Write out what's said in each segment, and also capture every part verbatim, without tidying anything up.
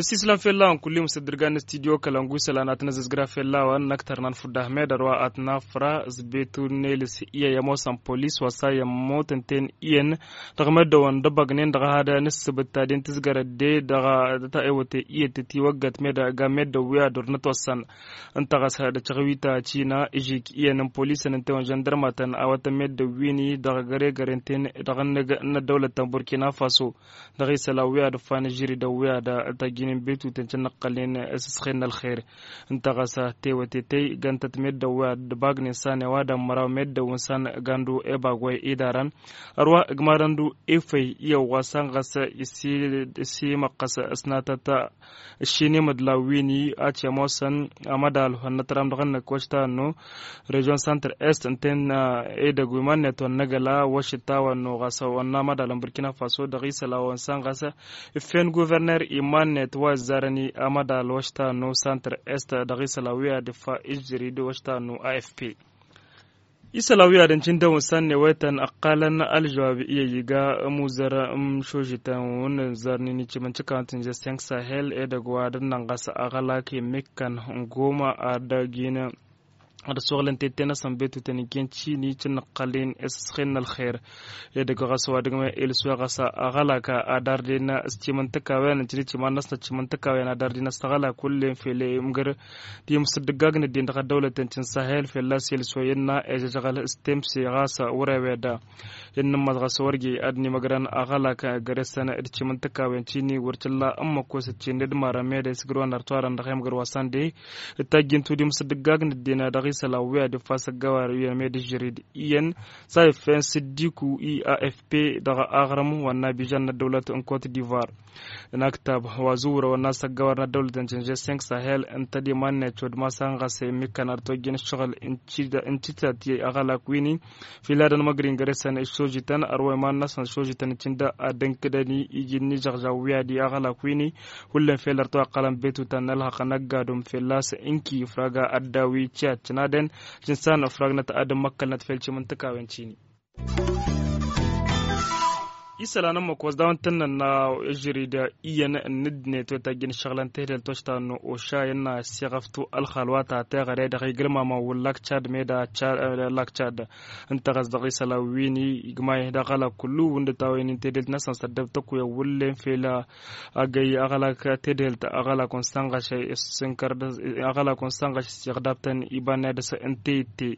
Nǝssislan fell-a-wăn kulli mǝsǝddǝrgan n-studyo kălăngu isălan ad-tăn-ăzzăzgra fell-a-wăn n-ăktărnan fudda ahmed ărwa ad-tăn-afra s-betu n-elis iyyăn i-ămoosăn polis wa s-a iyyăn motăn-ten iyyăn dăɣ-meddǝwăn d-ăbăgnen dăɣ-ehadăn s-sǝbǝt ta den tǝzgărăt de dăɣ-ta ewăte iyyăt tătiwăggăt meda ga meddǝw wi ad-ur n-ătwăssăn. Ǝnta ɣas dăɣ-căɣwita cina ižik iyyăn n-polisăn ǝnta i-wăn žăndărmatăn awătăn meddǝw wi-ni dăɣ-găregăre n-ten dăɣ-ănnăg n-ăddăwlăt ta n-burkina faso. Dăɣ-isălan wi ad-ǝffan ǝžžǝri dăɣ-wi ad-tăjjǝnen betuten cǝnnăqqălnen s-ǝsxen n-ălxer. Ǝnta ɣas tewătetăy gantăt meddǝw wi ad-dăbagnen s-anewa d-ămmăraw meddǝw n-san gandu ebagway idarăn. Ărwa ǝgmadăn du efăy iyyăw wa san ɣas issi măqqăs s-natăt ǝššin imǝdlaw wi-ni ad-t-ămoosăn amădal hănnăt ram dăɣ-ănnăk wăšta ănnu režion santăr est ǝnta-en edăgg wi iman-net wăr năgăla wăšǝt a-wa ănnu ɣas wănna amădal n-burkina faso dăɣ-isălan wa n-san ɣas iffen guverner iman-net wa ǝzzarăn-i amădal wăšta ănnu santăr est dăɣ-isălan wi ad-iffa ižžǝri d-wăšta ănnu afp. Isălan wi ad-ǝncǝndăw n-săn newetăn ăqqalăn ălžăwab iyyăy iga ămuzăr n-šožităn wa n-ǝzzărnen icimǝncǝkawăn tǝnjăs cinq sahel edăgg wa dăr-năn ɣas aɣălak i-ǝmmikkăn n-goma ad-dăgg-in ad-ăssoɣlăn tette-năsăn betutăn ijen cini cǝnnăqqălnen s-ǝsxen n-ălxer. Edăgg ɣas wa dăgg-ma ilǝswe ɣas aɣălak ad-arden s-timǝntǝkawen ǝncǝn iciman-năsăn timǝntǝkawen ad-arden s-aɣălak wǝllen fel i-mǝgǝr timǝsǝddǝggag n-ăddin dăɣ-ăddăwlăten ti n-sahel fălla-s ilǝswăy ǝnna ejăžăɣăl s-temse ɣas wăr-ewed. Innǝmmăẓ ɣas wăr-iji ad-nimăgrăn aɣălak găre-săn d-timǝntǝkawen cini wăr t-illa ǝmmǝk wa s-ǝccin d-marăn mede s-gǝrwăn ărtoarăn dăɣ-emgăr wa săn de d-tajjǝntu d-imǝsǝddǝggag n-ăddin dăɣ-isălan wi ad-iffas ăggawar iyyăn mede ǝžžărid iyyăn s-a iffen s-ǝddiku i-afp dăɣ-aɣrǝm wa n-abižan n-ăddăwlăt n-kot divoir. N-aktab wa zuwrăwăn n-asăggawăr n-ăddăwlăt n-cinže cinq sahel ǝnta d-iman-net cod ma s-anɣăse imikkan ar tojjăn ǝššăɣǝl n-titat i-aɣălak wi-ni. Fila d-ănmăgrin găre-săn ǝššojităn ărwa iman-năsăn ǝššojităn ǝccǝn da ad-dd-ǝnkǝdăn iji n-ižăɣžaw wi ad-i aɣălak wi-ni. Hullen fel ărtawăqqălăn betutăn n-ălhăqq n-ăggadum fălla-s ǝnki ifrag ad-daw-i ciyat cǝnadăn. Jǝnsan ifragnăt ad-ǝmmăkkălnăt fel cimǝntǝkawen cini. Isălan ǝmmǝk wa s-dawăn tǝnnăn n-ažărid iyyăn n-ǝddinăt wa tajjăn ǝššăɣǝlăn tehdelt wa s-tannă ošay n-assiɣăftu ălxal wa ta teɣăre dăɣ-igǝlmamăn wǝllak cad meda lak cad. Ǝnta ɣas dăɣ-isălan wi-ni igmay d-aɣălak kullu wǝndǝt a-wa inin tehdelt-năsăn s-ăddăb tăkuya wǝllen fel agăy aɣălak tehdelt aɣălak wa n-sănɣăšăy s-sǝnkăr aɣălak wa n-sănɣăšăy s-iɣdabtăn iba n-edăs n-teyǝtte.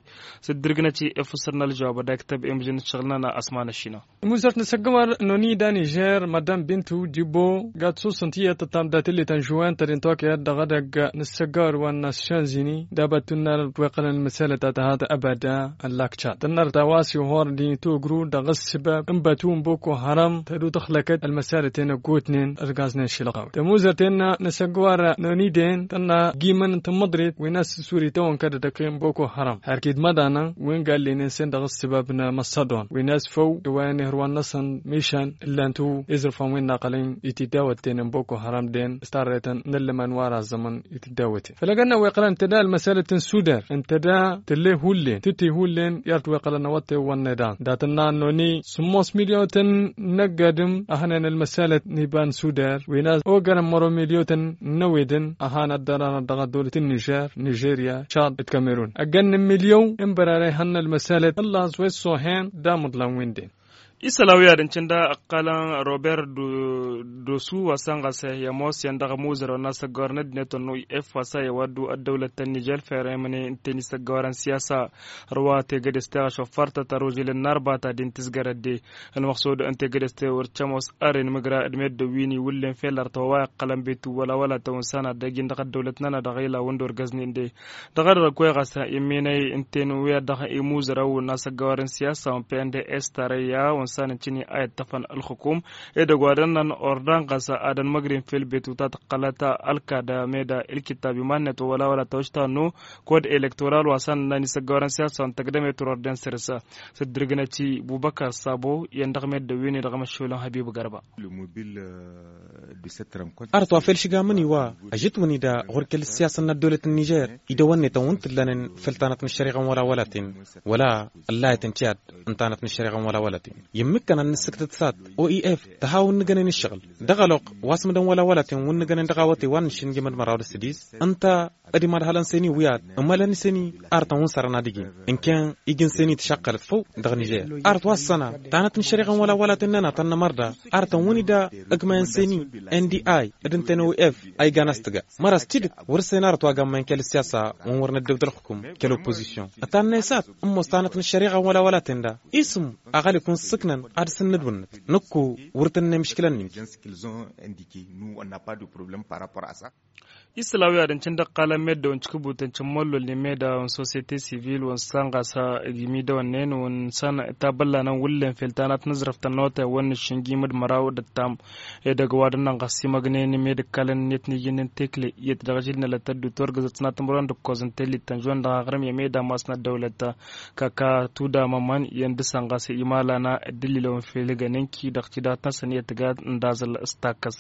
S-ǝddǝrǝgnăt i-efăsăr n-ălžăwab ad-aktăb emǝžăn ǝššăɣǝl-nănăɣ asman ăššinăɣ. Muzărt n-asăggăwar n-onida nižer madam bintu dibo gat susǝnt iyyăt tăttam dat-illit n-žuwen tădin tokăyăt dăɣ-edăgg n-asăggăwar wa n-nasyonzini d-abăt tunnăr d-weqqălăn ălmăsalăt ta tăhat ăbada n-lakcat tănnăr ta wa s-ihor d-initogru dăɣ-ǝssǝbab n-bătu n-boko haram tădu tăxlăkăt ălmăsalăt-en ăggootnen ărgaznen šilɣaw tămuzărt-en n-asăggăwar n-oniden tănna gimăn n-tămmăḍrit wi n-asǝsuri tawăn kădădăken boko haram har kid măḍanăn wi n-gallinen sen dăɣ-ǝssǝbab n-măssăḍon wi n-asfăw d-wa n-ihărwan-năsăn mišan ǝllan-tu izrǝfăn wi n-aqălăn i-tiddawătten n-boko haram den s-tarrăytăn n-ăllăman wa razzămăn i-tiddawătten făl-ăgg-ănn a-wa iqqălăn ǝntăda ălmăsalăt n-sudar ǝntăda tǝlle hullen tǝtte hullen i-ad-t-wa iqqălăn awătte wănneḍan dat-ănna ănnoni sǝmmos milyotăn n-ăgg-adǝm a hănen ălmăsalăt n-iba n-sudar wi n-a ogărăn măro milyotăn n-ăwedăn a han ăddăranăt dăɣ-ăddăwlăt n-nižer nižerya cad d-kamerun ăggăn n-milyon n-bărarăy hăn ălmăsalăt ǝllaẓ wa issohen d-amǝḍlan wi n-den. Isăl a-wi ad-ǝncǝn da ǝqqălăn robert dosu wa s-ănɣăs i-ămoos i-ăndăɣ amuzărăw n-asăggor n-ăddinăt wa n-o i-f wa s-a i-ăwaddu ăddăwlăt ta n-nižer ferăy măne ǝnta i-nisăggorăn siyasa. Ărwa tegădest teɣăšoffartăt ăružǝlăn n-arbata din tǝzgărăt de ălmăqsud ǝnta tegădest wăr t-ămoos ărren mǝgra d-meddǝn wi n-iwǝllen fel ărtăwăwa iqqălăn betu wăla wăla tăwǝnsan ad-dăgg-in dăɣ-ăddăwlăt-nănăɣ dăɣ-ila wǝndor găznen de. Dăɣ-ad-dăɣ kăwăɣ a-s immănăy ǝnta-en wi ad-dăɣ-imuzărăw n-asăggăwăr n-siyasa wa n-pnds tarăyya wa n-sanăncǝni a iṭṭăfăn ǝlxǝkum edăgg wa dănnăn ordan ɣas ad-ănmăgrin fel betu ta tǝqqălăt ălkad meda ilkittab iman-net wa wăla wăla tawăšta nu kod elektoral wa sanănnan isăggăwăr n-siyasa wa n-tăgdămet rorden săr-s. S-dd-irgǝnăt i-bubăkar sabo i-ăndăɣ meddǝn wi n-edăɣ măššolăn hăbib gărba. Arăt wa fel šǝgamăn-i wa ăžătwăn-dd ɣur-kăl-ăssiyasăn n-ăddăwlăt n-nižer idăwănnetăn wǝn t-ǝllănen făll-tanăt n-ăššăriɣa n-wăla-wăla-ten wăla ăllayăt n-tiyyăt n-tanăt n-ăššăriɣa n-wăla-wăla-ten. I-ǝmmǝkkăn ad-nǝssǝktǝt s-ad-o i-f tăha wǝnnǝgănen ǝššăɣǝl dăɣ-ălwăqq wa s-mǝdăn wăla-wăla-ten wǝnnǝgănen dăɣ-awătay wa n-nǝššǝnjǝmăd măraw d-asǝdis ǝnta ad-imadhălăn seni wi ad-ămălăn seni arătăn wǝn sărăn ad-ǝjǝn ǝnken ijǝn seni tǝšaqqălăt făw dăɣ-nižer. Arăt wa s-săna tanăt n-ăššăriɣa n-wăla wăla tăn-năna tăn-nămărda arătăn wǝn ida ǝgmayăn seni n d i d-ǝntănew i-f a igan a-s tǝga măra s-tidǝt wăr-ǝssen arăt wa gammăyăn kăl-ǝssiyasa wǝn wăr năddăw d-ălxǝkum kăl-oppozisyon. Ătannăy s-ad-ǝmmos tanăt n-ăššăriɣa n-wăla wăla-ten da isǝm aɣălik wǝn s-ǝknăn ad-dăr-s n-inǝdwǝnnǝt nǝkku wăr tăn-nemǝškǝlăn n-inki. Isălan wi ad-ǝncǝn dăɣ-iqqalăn meddǝwăn tikǝbutăn cǝmmăllolnen meddǝwăn sosyete sivil wăn săn ɣas igi midăwănnen wăn săn tabăllanăn wǝllen fel tanăt n-aẓrăf tănnotay wăn nǝššǝnjim d-măraw d-ăttam. Edăgg wa dănnăn ɣas imăgnen med-ǝkkalăn-net n-ijǝnnen tekle iyyăt dăɣ-ažil n-elăt ăddutor gǝzăt s-nat timǝrwen d-ǝkkoẓ n-tellit tănžuwen dăɣ-aɣrǝm i-ameda masnăt dăwlăt kăka tudamămăn i-ăndǝsăn ɣas imalana dd-illilăwăn fel igăn inki dăɣ-tidat-năsăn i-ătgad n-daẓǝl s-takkăs.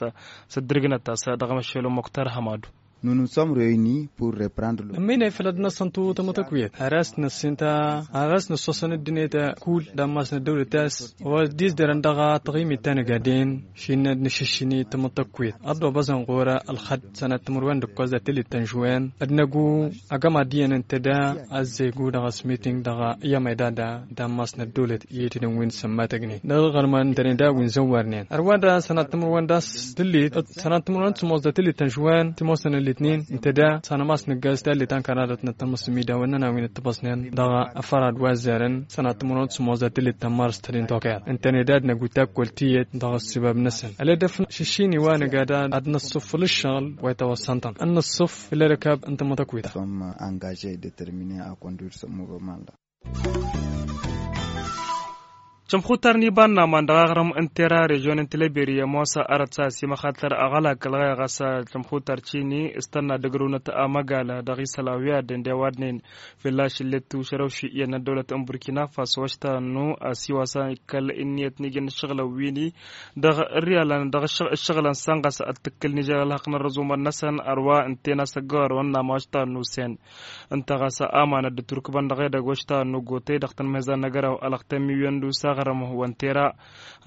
S-dd-irgǝnăt a-s dăɣ-măššelăw muktar hămadu. Nunu n-somrăyni pur reprendre. Ămminăy făll-ad-năsăn tu tamătăkwiyăt ar a-s năssinta ar a-s năssosăn ăddinăyăt kull d-ammas n-ăddăwlăt a-s wa s-dd-izderăn dăɣ-taɣimit ta n-igaden šinna d-nǝšǝššǝni tamătăkwiyăt ad-dd-obăẓăn ɣur-ălxădd sănat timǝrwen d-ǝkkoẓ d-tillit tănžuwen ad-năgu agămad iyyăn ǝnta da ăzzegu dăɣ-s miting dăɣ-i amăydada d-ammas n-ăddăwlăt i-tǝdǝnwin sămmătăgnen dăɣ-iɣărman ǝntănen da wi n-zăwwarnen ărwa da sănat timǝrwen d-a-s tǝllit sănat timǝrwen d-sămoos d-tǝllit tănžuwen timosăn ăllitnin ǝnta da s-anămas nǝggăz tallit ankăradăt n-ăttămăs imidawen n-ănawin ǝttăbăsnen dăɣ-afărad wa ăzzarăn sănat timǝrwen d-sămoos d-tǝllit tămmărăs tădin toker ǝntăne da ad-năggu takkol tiyyăt dăɣ-ăssibab-năsăn ălădăf šǝššin iwa nǝga da ad-năṣṣuf făll-ǝššăɣǝl wa itawăssăn-tăn ad-năṣṣuf făll-ărkab n-tamătăkwita. Angajăy determine a conduir s-ămurămanda. Cămxutar n-iba n-aman dăɣ-aɣrǝm n-tera režyon n-tilăberi i-ămoos arăt s-a ăsimăxatăr aɣălak ălɣeɣ a-s cămxutar cini s-tănna dăgg-rǝwnăt amăgal dăɣ-isălan wi ad-dd-ăwadnen fălla-s ǝllet tušărăwši iyyăn n-ăddăwlăt n-burkina faso ăštanu asiwa s-a ikkăl ǝnniyăt n-ijăn ǝššăɣǝlăn wini dăɣ-ǝrriyalăn dăɣ-ǝššăɣǝlăn săn ɣas ad-tǝkkǝl n-ijăn ălhăqq n-ărrăẓumăr-năsăn ărwa ǝnta-en asăggăwărăn n-ama ăštanu s-en. Ǝnta ɣas amanăt d-turkbăn dăɣ-edăgg wa ăštanu n-ogotăy dăɣ-tanmăyza n-agăraw ălăɣtăn miwyon d-usaɣrăm wăn tera.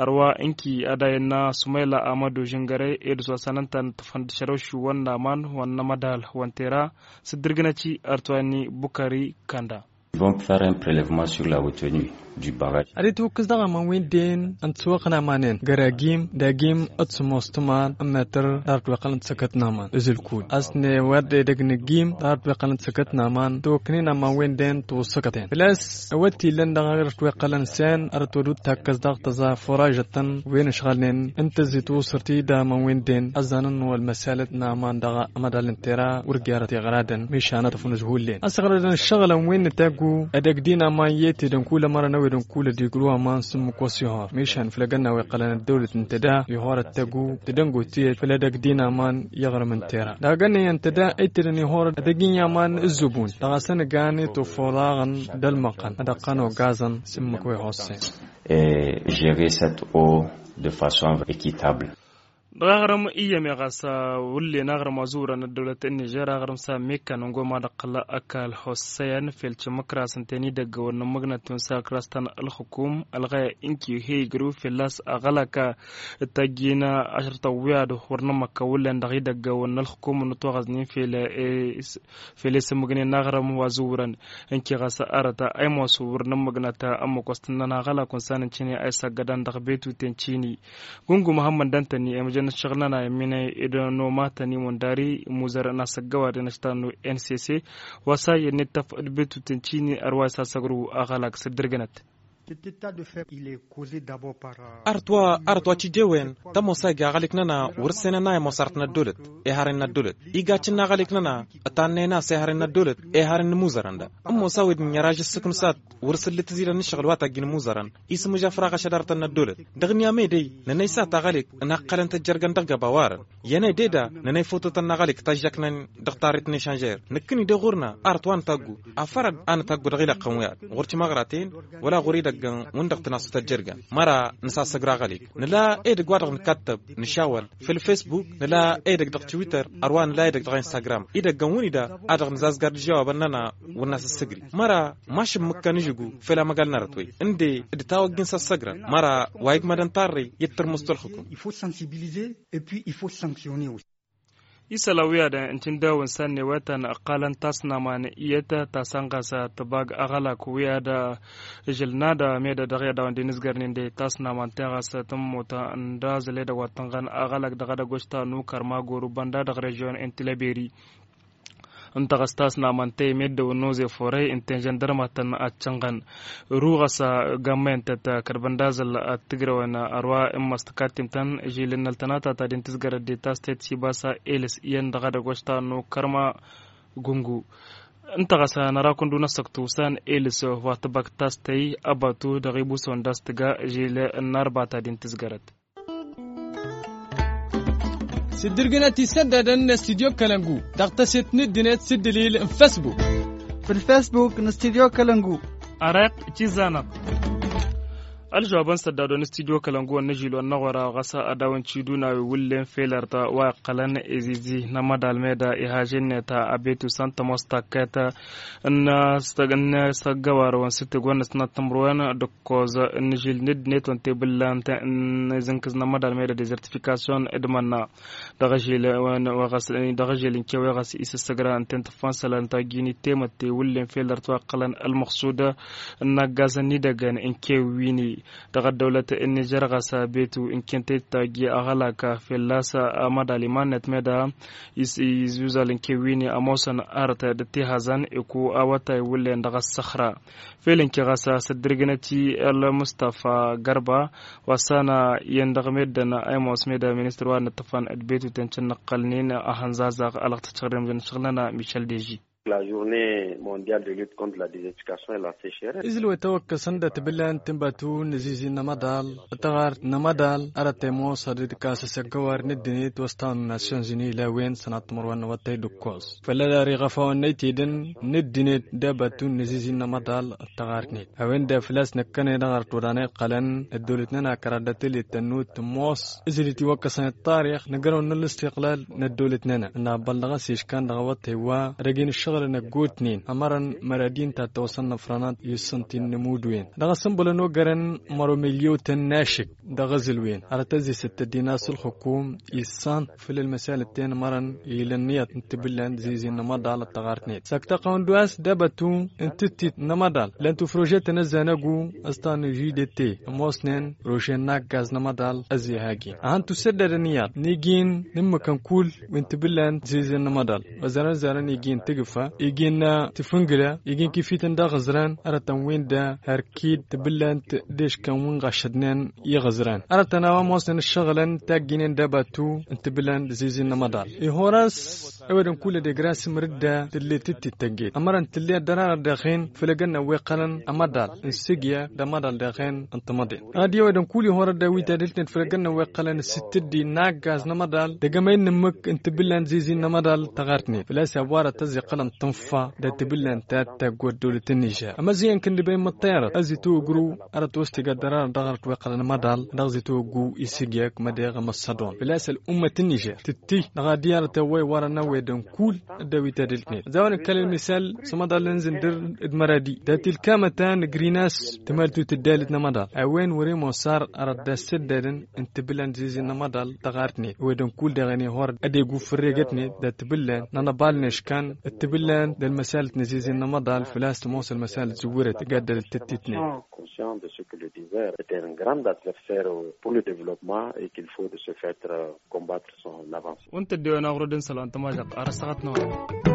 Ărwa ǝnki ad-ayǝnna sumayla amădu žǝngărăy ed s-wa săn ǝnta n-ǝṭṭǝfăn d-ašărăwšiw wăn n-aman wăn n-amădal wăn tera. S-dd-irgǝnăt-i ărtwani bukări kănda. Vont făr un prelevement sur la retenue du barrage. Ad-itwǝkkǝs dăɣ-aman wi n-den ǝnta s-wăɣ n-aman-en găr agim d-agim d-sămoos tǝmar n-metăr d-arăt wa iqqălăn d-săkăt n-aman ǝzǝl kud a-s newăr d-edăgg n-agim d-arăt wa iqqălăn d-săkăt n-aman tǝwăkknen aman wi n-den tǝwǝssăkăten făl-a-s ăwăt t-illăn dăɣ-arăt wa iqqălăn s-en arăt wa dd-takkăs dăɣ-tăẓa furažăt-tăn wi n-ǝšɣălnen ǝnta ăzzit wǝsǝr-t-i d-aman wi n-den ăzzanăn wăl-măsalăt n-aman dăɣ-amădal n-tera wăr gerăt iɣradăn mišan ad-tăfnǝz hullen ăsɣăr-dd n-ǝššăɣǝlăn wi n-taggu edăgg d-inaman i-tedăn kull ămărăn a-wedăn kull ădigru aman s-ǝmmǝk wa s-ihor mišan făll-egănna wa iqqălăn ăddăwlăt n-tedda ihor ăttaggu tedăngot tiyyăt făll-edăgg d-inaman i-iɣrǝm n-tera dăɣ-egănna iyyăn tedda i-tedăn ihor edăgg-i n-i-aman ǝzzǝbun dăɣ-asăn ǝgan i-tufuraɣăn d-ălmăqqăn ad-ăqqăn ogaẓăn s-ǝmmǝk wa ihossen. Gérer cette eau de façon équitable. Dăɣ-aɣrǝm iyyăm i-ɣas wǝllen aɣrǝm wa zǝwrăn ăddăwlăt n-nižer aɣrǝm s-a mekkan n-goma d-ăqqăl ăkall hossăyăn fel cǝmmǝkras ǝnta-en idăggăwăn n-ǝmmǝgnăt-wen s-akras ta n-ălxǝkum ălɣaya inki he-igrǝw fălla-s aɣălak. Ǝttajjin ašăr tăwwiad wăr nămmăkka wǝllen dăɣ-idăggăwăn n-ălxǝkum n-ătwăɣăznen fel fel i-sǝmmǝgnen n-aɣrǝm wa zǝwrăn. Ǝnki ɣas arăt a ăymos wăr nǝmmǝgnăt ămmǝk wa s-tǝnnăn aɣălak wa n-sanăn cini a isăggădan dăɣ-betuten cini. Gungu măhămmăd dăntănni i-măjăn ǝššăɣǝl-nănay ămminăy d-nomatăn imundari imuzărăn asăggăwad i-năštan n-nss wa s-a iyyăn ittăf d-betuten cini ărwa isasăgrǝw aɣălak s-dd-ǝrgǝnăt. Arăt wa arăt wa cijewăyăn tămoos a ija aɣalik-năna wăr-ǝssenăn a ămoos arăt n-ăddolăt. Ehăren n-ăddolăt iga cǝnna aɣalik-năna ătannăyăn a-s ehăren n-ăddolăt ehăren n-imuzărăn da. Ămoos a-wen ǝnniyăr ažăssǝk n-sat wăr-sǝllǝt tǝzilăn n-ǝššăɣǝl wa tajjǝn imuzărăn isǝmǝžaf raɣ ašădarătăn n-ăddolăt. Dăɣ-ǝnni a medăy nănăy s-a taɣalik ănaqqălăn tăjjărgăn dăɣ-găba warăn. Iyyăn ededa nănăy fototăn n-aɣalik tăžžăknăn dăɣ-tarret n-ešanžer năkkăni de ɣur-năɣ arăt wa nǝtaggu afărăd a nǝtaggu dăɣ-ilăqqăn wi-ad ɣur-timăɣraten wăla ɣur-idăggăn wǝndăɣ tǝnasut ăjjărgăn. Măra nǝsasăgr aɣalik nǝla edăgg wa dăɣ-nǝkattăb nǝšawăl făll-fesbuk nǝla edăgg dăɣ-twitter ărwa nǝla edăgg dăɣ-instagram idăggăn wǝnida a dăɣ-nǝzazgar d-žawabăn-nănăɣ wăr n-asăssăgri. Măra mašǝmmǝkkăn ǝžǝgu făll-amăgal n-arăt-wen ǝnde d-tawăgg-in săssăgrăn măra wa igmădăn tarrăy i-dd-tărmǝst wălxǝkum. Isălan wi ad-ǝncǝndawăn sannewetăn ăqqalăn tasnaman iyyăt ta sănɣas tibag aɣălak wi ad-ižǝl n-ad-meda dăɣ-i ad-dawăn d-inǝzgărnen de tasnaman teɣas tǝmmut n-dazăl edăgg wa t-tǝnɣăn aɣălak dăɣ-edăgg wa s-ta n-ukărma goru bănda dăɣ-režion n-tilăberi. Ǝnta ɣas tasnamăn tey meddǝwăn n-oze forăy ǝnta i-žăndărmatăn ad-cănɣăn. Ruɣăs gammăyăn-tăt kărbăn d-azăl ad-tǝgrăwăn ărwa n-măstăkattimtăn žilǝnnăl tănatăt ad-intǝzgărăt de tastăyt s-ibas a elǝs iyyăn dăɣ-edăgg wa s-ta n-okărma. Gungu ǝnta ɣas năra kundu n-ăssăktu s-an elǝs wa tǝbăk tastăy ăbatu dăɣ-ibusăwăn d-a-s tǝga žil n-arbat ad-intǝzgărăt. S-dd-ǝrgǝnăt isăddadăn n-studyo kălăngu dăɣ-tăset n-ǝddǝnet s-ǝddǝlil n-fesbuk. Făll-fesbuk n-studyo kălăngu. Ăreq cizanăɣ. Ălžăwabăn săddadon n-studyo kălăngu ănnăžilon n-aɣora ɣas ad-dawăn ciduna wi wǝllen felărt wa iqqălăn izizi n-amădal meda ihažennet abetu s-ăntămoos takkăyăt n-asăggăwarăwăn s-tǝgwăn n-asnat tǝmrǝwen d-ǝkkoẓ n-ažil n-ăddinăt wa n-tebǝllant n-izǝnkǝz n-amădal meda dezertifikasyon d-imănna. Dăɣ-ažil n-kewe ɣas isǝssăgra ǝnta n-tǝffan isălan tajjin ittemătte wǝllen fel dăr-t wa ǝqqălăn ălmăxsud n-aggazăn n-idăgăn n-kewe wi-ni. Dăɣ-ăddăwlăt n-nižer ɣas abetu n-kentăy tajji aɣălak fălla-s amădal iman-net meda izuzal n-kewe wi-ni ămoosăn arăt d-ăttihazăn iku awătay wǝllen dăɣ-ăssăxra. Fel ǝnke ɣas s-dd-ǝrgǝnăt-i ălmustăfa gărba wa s-ana iyyăn dăɣ-meddǝn a imoos meda ministăr wa n-ǝṭṭǝfăn d-betuten cǝnnăqqălnen ahănzazaɣ alăɣ tǝccăɣrem d-ănšăɣlăn a michel deži. La journée mondiale de lutte contre la désertification et la sécheresse. Izǝl wa itawăkkăsăn d-atbǝllan tǝnbatu n-azizi n-amăḍal tăɣart n-amăḍal arăt imoos ad-dd-kas asăggăwar n-ăddinăt wa s-tanun nations unies la wen sănat timărwen n-awăttay d-ǝkkoẓ. Făll-ad-ar iɣăfawăn n-aytedăn n-ăddinăt d-abatu n-azizi n-amăḍal ăttăɣarnet a-wen-dăɣ făl-a-s năkkăneḍ ăɣrăt wăr-anăyqqălăn ăddăwlăt-nănăɣ kăraḍ d-atelet tănnut tămoos. Ǝzǝl-dd iwăkkăsăn ăṭṭarix nǝgrăwăn n-ălǝstiqlal n-ăddăwlăt-nănăɣ ǝnna ăbbăl dăɣ-s iškan dăɣ-awăttay wa dăgg-inǝššăɣǝlăn ăggootnen ămărăn măradi n-tattăwăsăn n-ăfrănăt i-ǝssǝnti n-inǝmudǝwen. Dăɣ-asǝnbălăn ogărăn măro milyotăn n-ašǝk dăɣ-ezǝlwen arăt ăzzesăt tăddina s-ǝlxǝkum issan făll-ălmăsalăt-ten mărăn ilăn iyyăḍ n-tibǝllan d-zizi n-amăḍal ăttăɣarnet săktăɣ-tăn d-wa s-dăbătu n-tǝttit n-amăḍal lăn tufrožetăn ăzzanăgu ăstan židete ămoosnen rožen n-aggaz n-amăḍal ăzzehagin ad-hăn-tusăddădăn iyyăḍ n-igin n-ǝmmǝkăn kull wi n-tibǝllan d-zizi n-amăḍal ăzzanăn ăzzanăn igin tǝgǝfa igin tǝfǝngǝla igin kifităn d-aɣǝzran arătăn win-da hărkid tibǝllan d-eškăn wi n-ɣašădnen iɣǝzran arătăn a-wa ămoosnen ǝššăɣǝlăn tajjinen d-abatu n-tibǝllan d-zizi n-amăḍal ihor-as ewădăn kull ad-egrăn s-imrǝdda tǝllet d-tittăgget ămărăn tǝllet dăr-anăɣ dăɣ-hin făll-egănnăn wi iqqălăn amăḍal n-sǝgya d-amăḍal dăɣ-hin n-timăḍen ad-i ewădăn kull ihor-ădda wi tadǝlt-net făll-egănnăn wi iqqălăn s-tǝddi n-aggaz n-amăḍal dăgg-emăy n-ǝmmǝk n-tibǝllan d-zizi n-amăḍal tăɣartnet făl-a-s i-a-wa arăt ăzzăqqălăn tǝnfa d-atǝbǝllan ta taggoddolăt n-nižer ămăziyăn kǝndǝbey măṭṭerăt ăzitogru. Arăt wăs tigaddăr arăt dăɣ-arăt weqqălăn măḍal dăɣ-zitoggu isǝgyăk mădeɣ măssăḍon făl-a-s ăl'ummăt n-nižer tǝtti dăɣ-adǝy arăt ăwwăy wărăn ăwwăy d-ǝnkul ăddăwit ad-ǝltnet. Zawăn ǝkkăl ălmisal s-amăḍal n-zǝndǝr d-măradi dat-ilkamăta n-grinas tǝmaltut ǝddalǝt n-amăḍal a-wen wăr-e mosar arăt d-assăddadăn n-tǝbǝllan d-zizǝn n-amăḍal dăɣ-artnet ăwwăy d-ǝnkul deɣ ănihor ad-egu fǝrregătnet dat-tǝbǝllan n-anăbal n-eškan d-tǝbǝllan d-ălmăsalăt n-azizǝn n-amăḍal făl-a-s tămoos ălmăsalăt zǝwwărăt tǝgaddălăt tăttitnet. Conscient de ce que le diver est un grand adversaire pour le développement et qu'il faut de ce fait combattre son avancement. Wăn tăddewen aɣrud n-sălan tămažăɣt ar ăssaɣăt n-awăr.